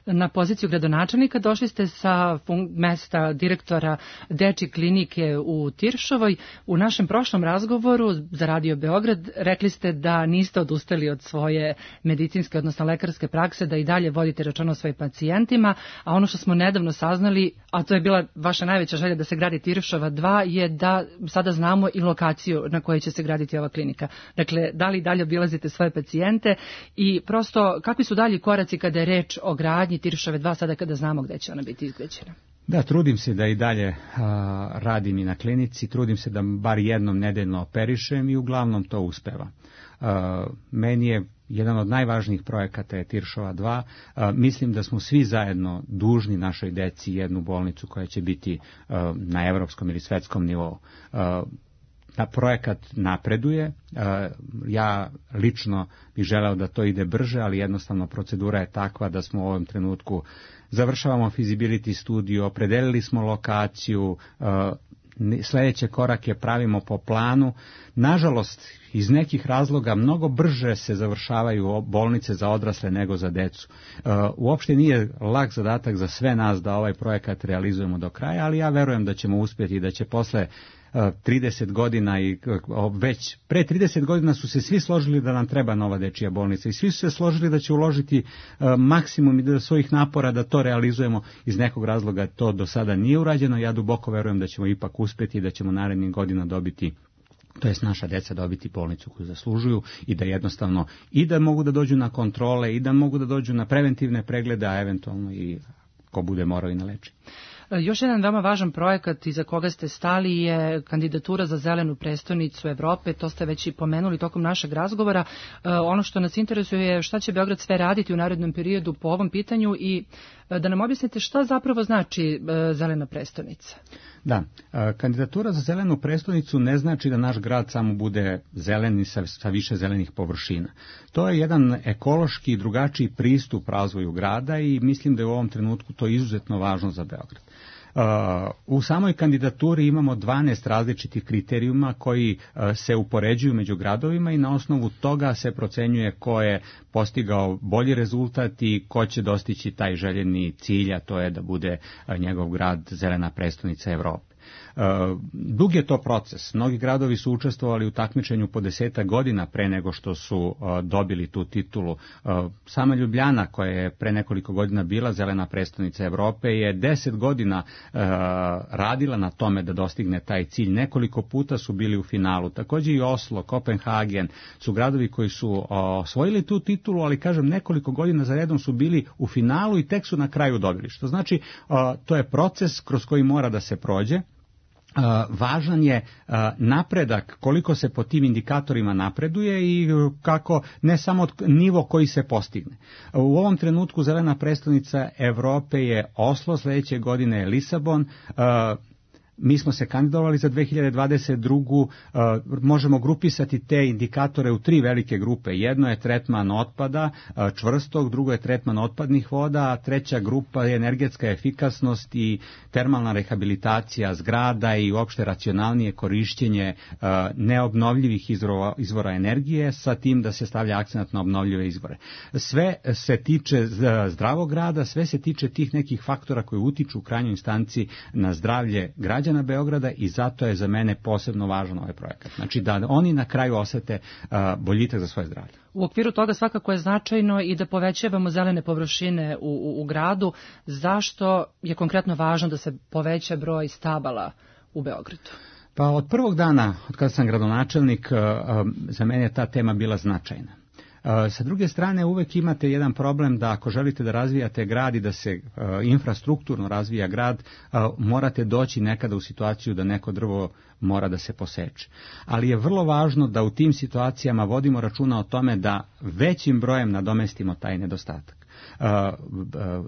Na poziciju gradonačelnika došli ste sa mesta direktora dečje klinike u Tiršovoj. U našem prošlom razgovoru za Radio Beograd rekli ste da niste odustali od svoje medicinske, odnosno lekarske prakse, da i dalje vodite računa o svojim pacijentima, a ono što smo nedavno saznali, a to je bila vaša najveća želja da se gradi Tiršova 2, je da sada znamo i lokaciju na kojoj će se graditi ova klinika. Dakle, da li dalje obilazite svoje pacijente i prosto kakvi su dalji koraci kada je reč o gradnji Tiršove 2 sada kada znamo gde će ona biti izgrađena? Da, trudim se da i dalje radim i na klinici, trudim se da bar jednom nedeljno operišem i uglavnom to uspeva. Meni je jedan od najvažnijih projekata je Tiršova 2. Mislim da smo svi zajedno dužni našoj deci jednu bolnicu koja će biti na evropskom ili svetskom nivou. Projekat napreduje, ja lično bih želeo da to ide brže, ali jednostavno procedura je takva da smo u ovom trenutku završavamo feasibility studiju, opredelili smo lokaciju, sljedeće korake pravimo po planu. Nažalost, iz nekih razloga mnogo brže se završavaju bolnice za odrasle nego za decu. Uopšte nije lak zadatak za sve nas da ovaj projekat realizujemo do kraja, ali ja verujem da ćemo uspjeti i da će posle 30 godina i već pre 30 godina su se svi složili da nam treba nova dečija bolnica i svi su se složili da će uložiti maksimum i svojih napora da to realizujemo. Iz nekog razloga to do sada nije urađeno. Ja duboko verujem da ćemo ipak uspjeti i da ćemo narednih godina dobiti, to jest naša deca dobiti bolnicu koju zaslužuju i da jednostavno i da mogu da dođu na kontrole i da mogu da dođu na preventivne preglede, a eventualno i ko bude morao i na lečenje. Još jedan veoma važan projekat iza koga ste stali je kandidatura za zelenu prestonicu Evrope, to ste već i pomenuli tokom našeg razgovora. Ono što nas interesuje je šta će Beograd sve raditi u narednom periodu po ovom pitanju i da nam objasnite šta zapravo znači zelena prestonica. Da, kandidatura za zelenu prestonicu ne znači da naš grad samo bude zelen i sa više zelenih površina. To je jedan ekološki drugačiji pristup razvoju grada i mislim da je u ovom trenutku to izuzetno važno za Beograd. U samoj kandidaturi imamo 12 različitih kriterijuma koji se upoređuju među gradovima i na osnovu toga se procenjuje ko je postigao bolji rezultat i ko će dostići taj željeni cilj, a to je da bude njegov grad zelena prestonica Evrope. Dug je to proces. Mnogi gradovi su učestvovali u takmičenju po 10 godina pre nego što su dobili tu titulu. Sama Ljubljana, koja je pre nekoliko godina bila zelena prestonica Evrope, je 10 godina radila na tome da dostigne taj cilj. Nekoliko puta su bili u finalu. Također i Oslo, Kopenhagen su gradovi koji su osvojili tu titulu, ali kažem nekoliko godina za redom su bili u finalu i tek su na kraju dobili. Što znači to je proces kroz koji mora da se prođe. Važan je napredak, koliko se po tim indikatorima napreduje i kako ne samo nivo koji se postigne. U ovom trenutku zelena prestonica Evrope je Oslo, sljedeće godine je Lisabon. Mi smo se kandidovali za 2022. Možemo grupisati te indikatore u 3 velike grupe. Jedno je tretman otpada čvrstog, drugo je tretman otpadnih voda, a treća grupa je energetska efikasnost i termalna rehabilitacija zgrada i uopšte racionalnije korišćenje neobnovljivih izvora energije sa tim da se stavlja akcenat na obnovljive izvore. Sve se tiče zdravog grada, sve se tiče tih nekih faktora koji utiču u krajnjoj instanci na zdravlje građana Beograda i zato je za mene posebno važan ovaj projekat. Znači da oni na kraju osete boljitak za svoje zdravlje. U okviru toga svakako je značajno i da povećavamo zelene površine u gradu. Zašto je konkretno važno da se poveća broj stabala u Beogradu? Pa od prvog dana, od kada sam gradonačelnik, za mene je ta tema bila značajna. Sa druge strane, uvek imate jedan problem da ako želite da razvijate grad i da se infrastrukturno razvija grad, morate doći nekada u situaciju da neko drvo mora da se poseče. Ali je vrlo važno da u tim situacijama vodimo računa o tome da većim brojem nadomestimo taj nedostatak.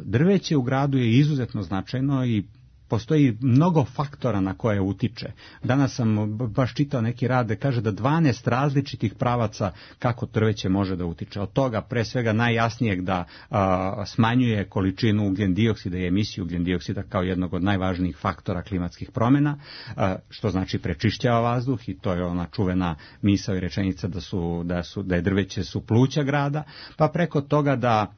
Drveće u gradu je izuzetno značajno i postoji mnogo faktora na koje utiče. Danas sam baš čitao neki rad da kaže da 12 različitih pravaca kako drveće može da utiče. Od toga pre svega najjasnijeg da smanjuje količinu ugljen-dioksida i emisiju ugljen-dioksida kao jednog od najvažnijih faktora klimatskih promjena, što znači prečišćava vazduh i to je ona čuvena misao i rečenica da je drveće su pluća grada, pa preko toga da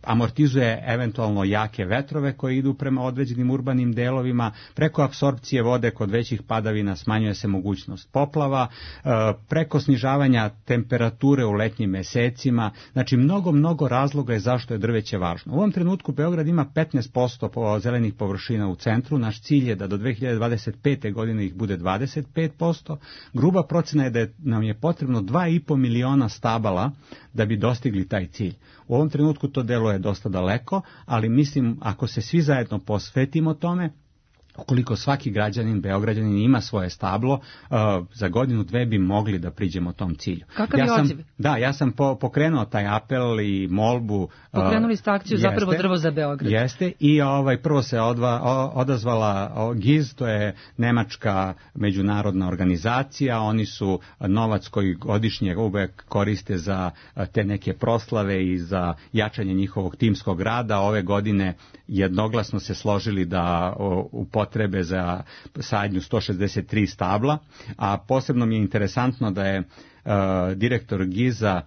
amortizuje eventualno jake vetrove koji idu prema određenim urbanim delovima, preko apsorpcije vode kod većih padavina smanjuje se mogućnost poplava, preko snižavanja temperature u letnjim mesecima, znači mnogo razloga je zašto je drveće važno. U ovom trenutku Beograd ima 15% zelenih površina u centru, naš cilj je da do 2025. godine ih bude 25%, gruba procena je da nam je potrebno 2,5 miliona stabala da bi dostigli taj cilj. U ovom trenutku to deluje dosta daleko, ali mislim ako se svi zajedno posvetimo tome, ukoliko svaki građanin, Beograđanin ima svoje stablo, za godinu, dve bi mogli da priđemo tom cilju. Kakav je odziv? Da, ja sam pokrenuo taj apel i molbu. Pokrenuli ste akciju zapravo Drvo za Beograd. Jeste, i prvo se odazvala GIZ, to je nemačka međunarodna organizacija, oni su novac koji godišnje uvek koriste za te neke proslave i za jačanje njihovog timskog rada. Ove godine jednoglasno se složili da potrebe za sadnju 163 stabla, a posebno mi je interesantno da je direktor GIZ-a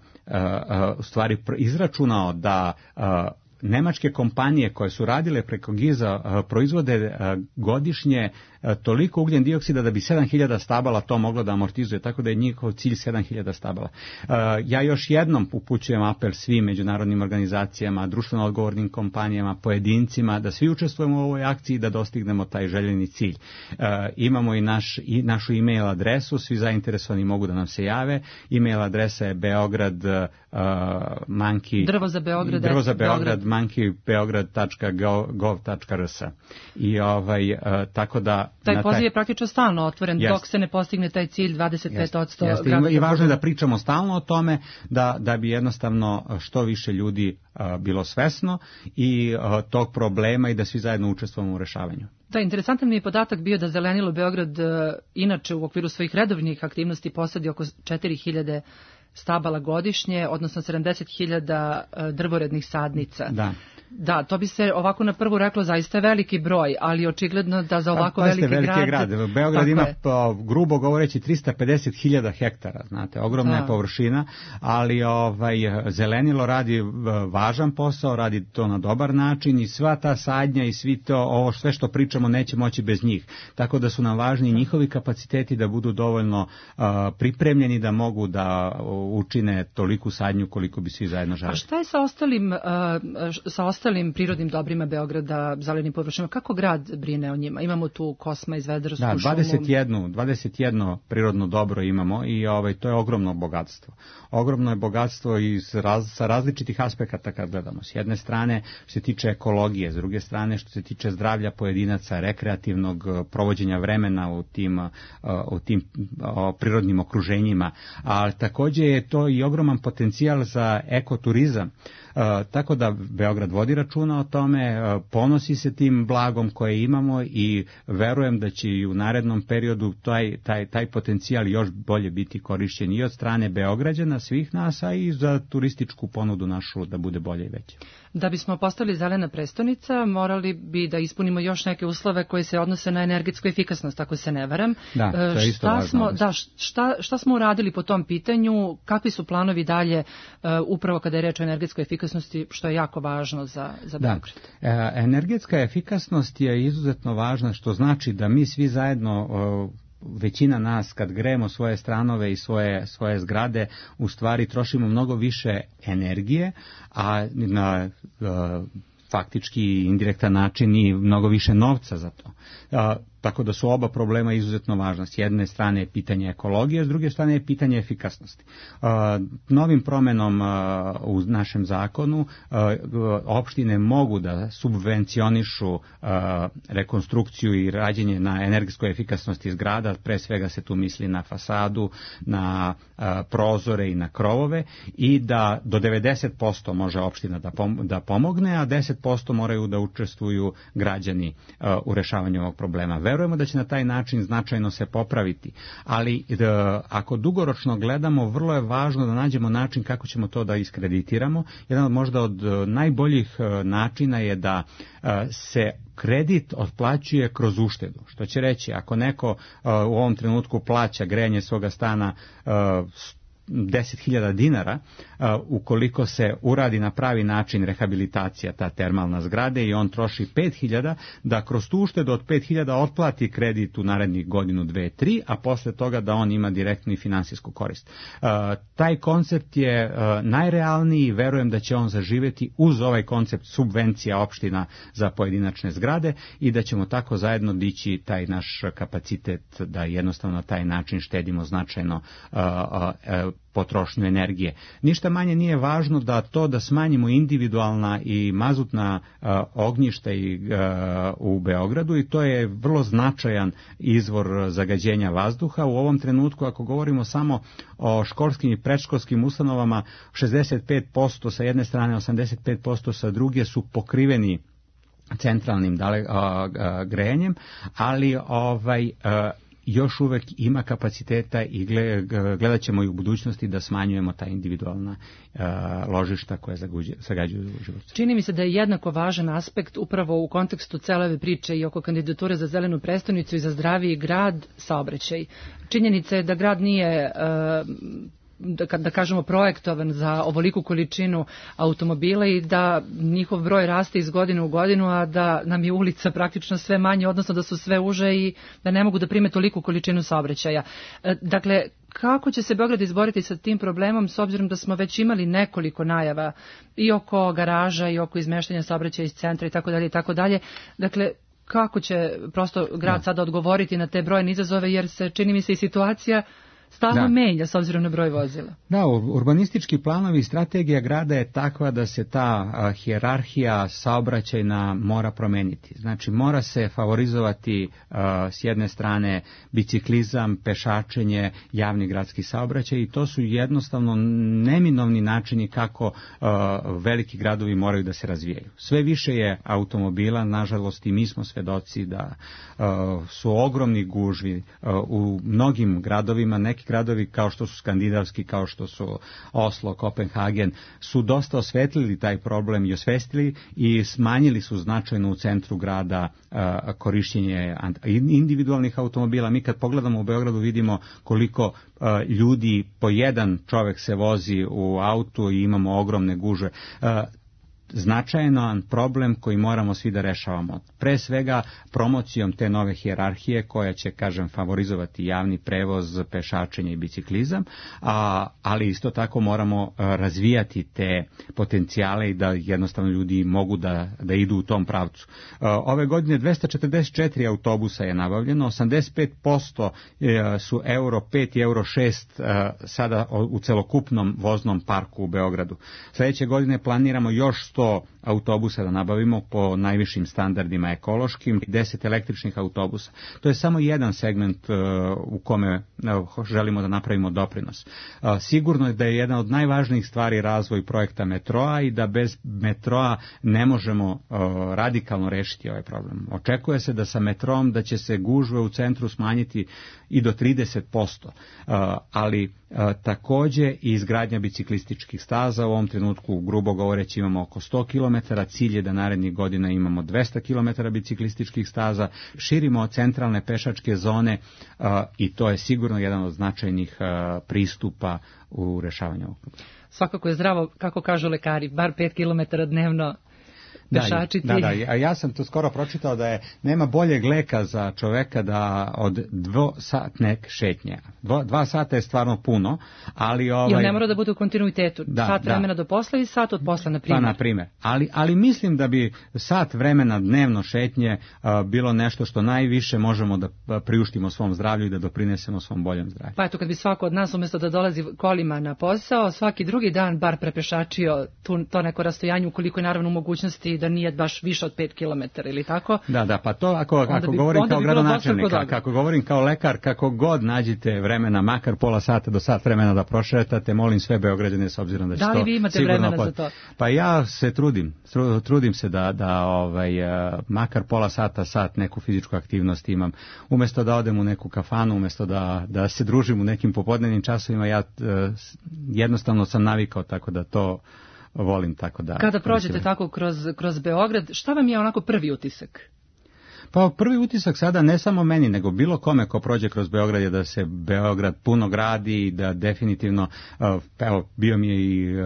u stvari izračunao da nemačke kompanije koje su radile preko GIZ-a proizvode godišnje toliko ugljen dioksida da bi 7000 stabala to moglo da amortizuje, tako da je njihov cilj 7000 stabala. Ja još jednom upućujem apel svim međunarodnim organizacijama, društveno odgovornim kompanijama, pojedincima, da svi učestvujemo u ovoj akciji da dostignemo taj željeni cilj. Imamo i našu e-mail adresu, svi zainteresovani mogu da nam se jave. E-mail adresa je Drvo za Beograd monkeybeograd.gov.rs. I tako da taj poziv je praktično stalno otvoren dok se ne postigne taj cilj 25%. I važno je da pričamo stalno o tome da bi jednostavno što više ljudi bilo svesno i tog problema i da svi zajedno učestvujemo u rešavanju. Da, interesantan mi je podatak bio da Zelenilo Beograd inače u okviru svojih redovnih aktivnosti posadi oko 4000 stabala godišnje, odnosno 70.000 drvorednih sadnica. Da, to bi se ovako na prvu reklo zaista veliki broj, ali očigledno da za ovako veliki grad... Beograd ima, grubo govoreći, 350.000 hektara, znate, ogromna je površina, ali Zelenilo radi važan posao, radi to na dobar način i sva ta sadnja i sve što pričamo neće moći bez njih. Tako da su nam važni njihovi kapaciteti da budu dovoljno pripremljeni da mogu da učine toliku sadnju koliko bi svi zajedno želeli. A šta je sa ostalim prirodnim dobrima Beograda, zelenim površinama? Kako grad brine o njima? Imamo tu Kosma, Izvedarsku šumu. 21 prirodno dobro imamo i to je ogromno bogatstvo. Ogromno je bogatstvo i sa različitih aspekata kad gledamo. S jedne strane što se tiče ekologije, s druge strane što se tiče zdravlja pojedinaca, rekreativnog provođenja vremena u tim prirodnim okruženjima, a također je to i ogroman potencijal za ekoturizam. Tako da Beograd vodi računa o tome, ponosi se tim blagom koje imamo i verujem da će i u narednom periodu taj potencijal još bolje biti korišćen i od strane Beograđana, svih nas, a i za turističku ponudu našu da bude bolje i veće. Da bismo postali zelena prestonica, morali bi da ispunimo još neke uslove koje se odnose na energetsku efikasnost, ako se ne varam. Da, to je isto važno. Šta smo uradili po tom pitanju, kakvi su planovi dalje, upravo kada je reč o energetskoj efikasnosti, što je jako važno za Beograd? Energetska efikasnost je izuzetno važna, što znači da mi svi zajedno, većina nas kad grejemo svoje stanove i svoje zgrade, u stvari trošimo mnogo više energije, a na faktički indirektan način i mnogo više novca za to. tako da su oba problema izuzetno važna. S jedne strane je pitanje ekologije, s druge strane je pitanje efikasnosti. Novim promenom u našem zakonu opštine mogu da subvencionišu rekonstrukciju i rađenje na energetskoj efikasnosti zgrada, pre svega se tu misli na fasadu, na prozore i na krovove, i da do 90% može opština da pomogne, a 10% moraju da učestvuju građani u rešavanju ovog problema. Verujemo da će na taj način značajno se popraviti, ali ako dugoročno gledamo, vrlo je važno da nađemo način kako ćemo to da iskreditiramo. Jedan možda od najboljih načina je da se kredit otplaćuje kroz uštedu. Što će reći, ako neko u ovom trenutku plaća grejanje svoga stana 10.000 dinara, ukoliko se uradi na pravi način rehabilitacija ta termalna zgrade i on troši 5.000, da kroz tu uštedu od 5.000 otplati kredit u narednih godinu, 2, 3, a posle toga da on ima direktnu i finansijsku korist. Taj koncept je najrealniji i verujem da će on zaživeti uz ovaj koncept subvencija opština za pojedinačne zgrade i da ćemo tako zajedno dići taj naš kapacitet da jednostavno na taj način štedimo značajno potrošnju energije. Ništa manje nije važno da smanjimo individualna i mazutna ognjišta u Beogradu, i to je vrlo značajan izvor zagađenja vazduha. U ovom trenutku, ako govorimo samo o školskim i predškolskim ustanovama, 65% sa jedne strane, 85% sa druge su pokriveni centralnim grejanjem, ali još uvek ima kapaciteta i gledat ćemo i u budućnosti da smanjujemo ta individualna ložišta koje zagađuju život. Čini mi se da je jednako važan aspekt upravo u kontekstu cele ove priče i oko kandidature za zelenu prestonicu i za zdraviji grad, saobraćaj. Činjenica je da grad nije da kažemo projektovan za ovoliku količinu automobila i da njihov broj raste iz godine u godinu, a da nam je ulica praktično sve manje, odnosno da su sve uže i da ne mogu da prime toliku količinu saobraćaja. Dakle, kako će se Beograd izboriti sa tim problemom, s obzirom da smo već imali nekoliko najava i oko garaža i oko izmeštanja saobraćaja iz centra i tako dalje i tako dalje. Dakle, kako će prosto grad sada odgovoriti na te brojne izazove, jer se čini mi se i situacija stalno menja s obzirom na broj vozila. Da, urbanistički planovi i strategija grada je takva da se ta hijerarhija saobraćajna mora promeniti. Znači, mora se favorizovati s jedne strane biciklizam, pešačenje, javni gradski saobraćaj, i to su jednostavno neminovni načini kako veliki gradovi moraju da se razvijaju. Sve više je automobila, nažalost, i mi smo svedoci da su ogromni gužvi u mnogim gradovima. Neki gradovi kao što su skandinavski, kao što su Oslo, Kopenhagen, su dosta osvetlili taj problem i osvestili i smanjili su značajno u centru grada korišćenje individualnih automobila. Mi kad pogledamo u Beogradu vidimo koliko ljudi po jedan čovek se vozi u autu i imamo ogromne gužve. Značajan problem koji moramo svi da rešavamo. Pre svega promocijom te nove hijerarhije koja će, kažem, favorizovati javni prevoz, pešačenje i biciklizam, ali isto tako moramo razvijati te potencijale i da jednostavno ljudi mogu da idu u tom pravcu. Ove godine 244 autobusa je nabavljeno, 85% su Euro 5 i Euro 6 sada u celokupnom voznom parku u Beogradu. Sledeće godine planiramo još 100 autobusa da nabavimo po najvišim standardima ekološkim i 10 električnih autobusa. To je samo jedan segment u kome želimo da napravimo doprinos. Sigurno je da je jedna od najvažnijih stvari razvoj projekta metroa i da bez metroa ne možemo radikalno rešiti ovaj problem. Očekuje se da sa metroom da će se gužve u centru smanjiti i do 30%, ali takođe i izgradnja biciklističkih staza. U ovom trenutku, grubo govoreći, imamo oko 100 km, cilj je da narednih godina imamo 200 km biciklističkih staza, širimo centralne pešačke zone i to je sigurno jedan od značajnih pristupa u rešavanju ovog problema. Svakako je zdravo, kako kažu lekari, bar 5 km dnevno. pešačiti. Da, a ja sam to skoro pročitao da nema boljeg leka za čoveka da od dvosatne šetnje. 2 sata je stvarno puno, ali... Jer ne mora da bude u kontinuitetu. Sat vremena do posla i sat od posla, na primjer. Pa, na primjer. Ali mislim da bi sat vremena dnevno šetnje bilo nešto što najviše možemo da priuštimo svom zdravlju i da doprinesemo svom boljem zdravlju. Pa eto, kad bi svako od nas umjesto da dolazi kolima na posao, svaki drugi dan bar prepešačio to neko rastojanje, ukoliko je naravno u mogućnosti da nije baš više od 5 km ili tako. Da, pa to ako govorim kao gradonačelnik, ako govorim kao lekar, kako god nađite vremena, makar pola sata do sat vremena da prošetate, molim sve Beograđane s obzirom da će to sigurno... Da li vi imate vremena za to? Pa ja se trudim se da makar pola sat neku fizičku aktivnost imam. Umjesto da odem u neku kafanu, umjesto da se družim u nekim popodnevnim časovima, ja jednostavno sam navikao tako da to volim tako da... Kada prođete tako kroz Beograd, šta vam je onako prvi utisak? Pa prvi utisak sada ne samo meni, nego bilo kome ko prođe kroz Beograd je da se Beograd puno gradi i da definitivno, evo, bio mi je i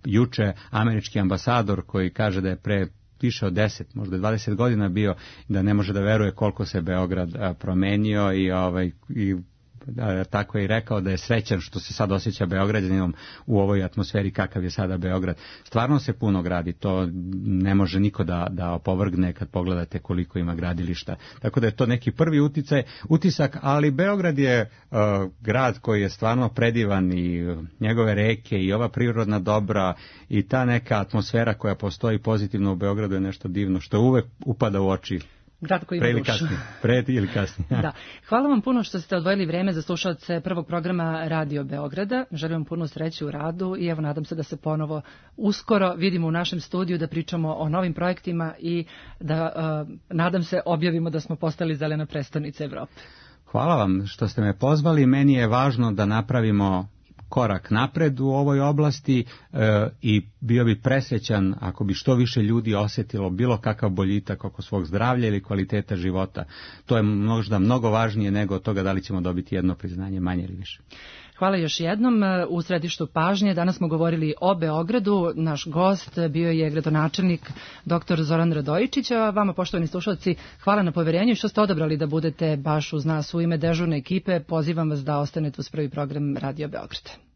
juče američki ambasador koji kaže da je pre više od 10, možda 20 godina bio, da ne može da veruje koliko se Beograd promenio i tako je i rekao da je srećan što se sad osjeća Beograđaninom u ovoj atmosferi kakav je sada Beograd. Stvarno se puno gradi, to ne može niko da opovrgne kad pogledate koliko ima gradilišta. Tako da je to neki prvi utisak, ali Beograd je grad koji je stvarno predivan i njegove reke i ova prirodna dobra i ta neka atmosfera koja postoji pozitivno u Beogradu je nešto divno što uvek upada u oči. Grad koji ima dušu. Pre ili kasnije. Da. Hvala vam puno što ste odvojili vreme za slušalce prvog programa Radio Beograda. Želim vam puno sreće u radu i evo nadam se da se ponovo uskoro vidimo u našem studiju da pričamo o novim projektima i da nadam se objavimo da smo postali zelena prestonica Evrope. Hvala vam što ste me pozvali. Meni je važno da napravimo korak napred u ovoj oblasti i bio bi presrećan ako bi što više ljudi osjetilo bilo kakav boljitak oko svog zdravlja ili kvaliteta života. To je možda mnogo važnije nego od toga da li ćemo dobiti jedno priznanje manje ili više. Hvala još jednom. U središtu pažnje danas smo govorili o Beogradu. Naš gost bio je gradonačelnik dr. Zoran Radojičić. A vama, poštovani slušalci, hvala na poverenju i što ste odabrali da budete baš uz nas u ime dežurne ekipe. Pozivam vas da ostanete uz prvi program Radio Beograda.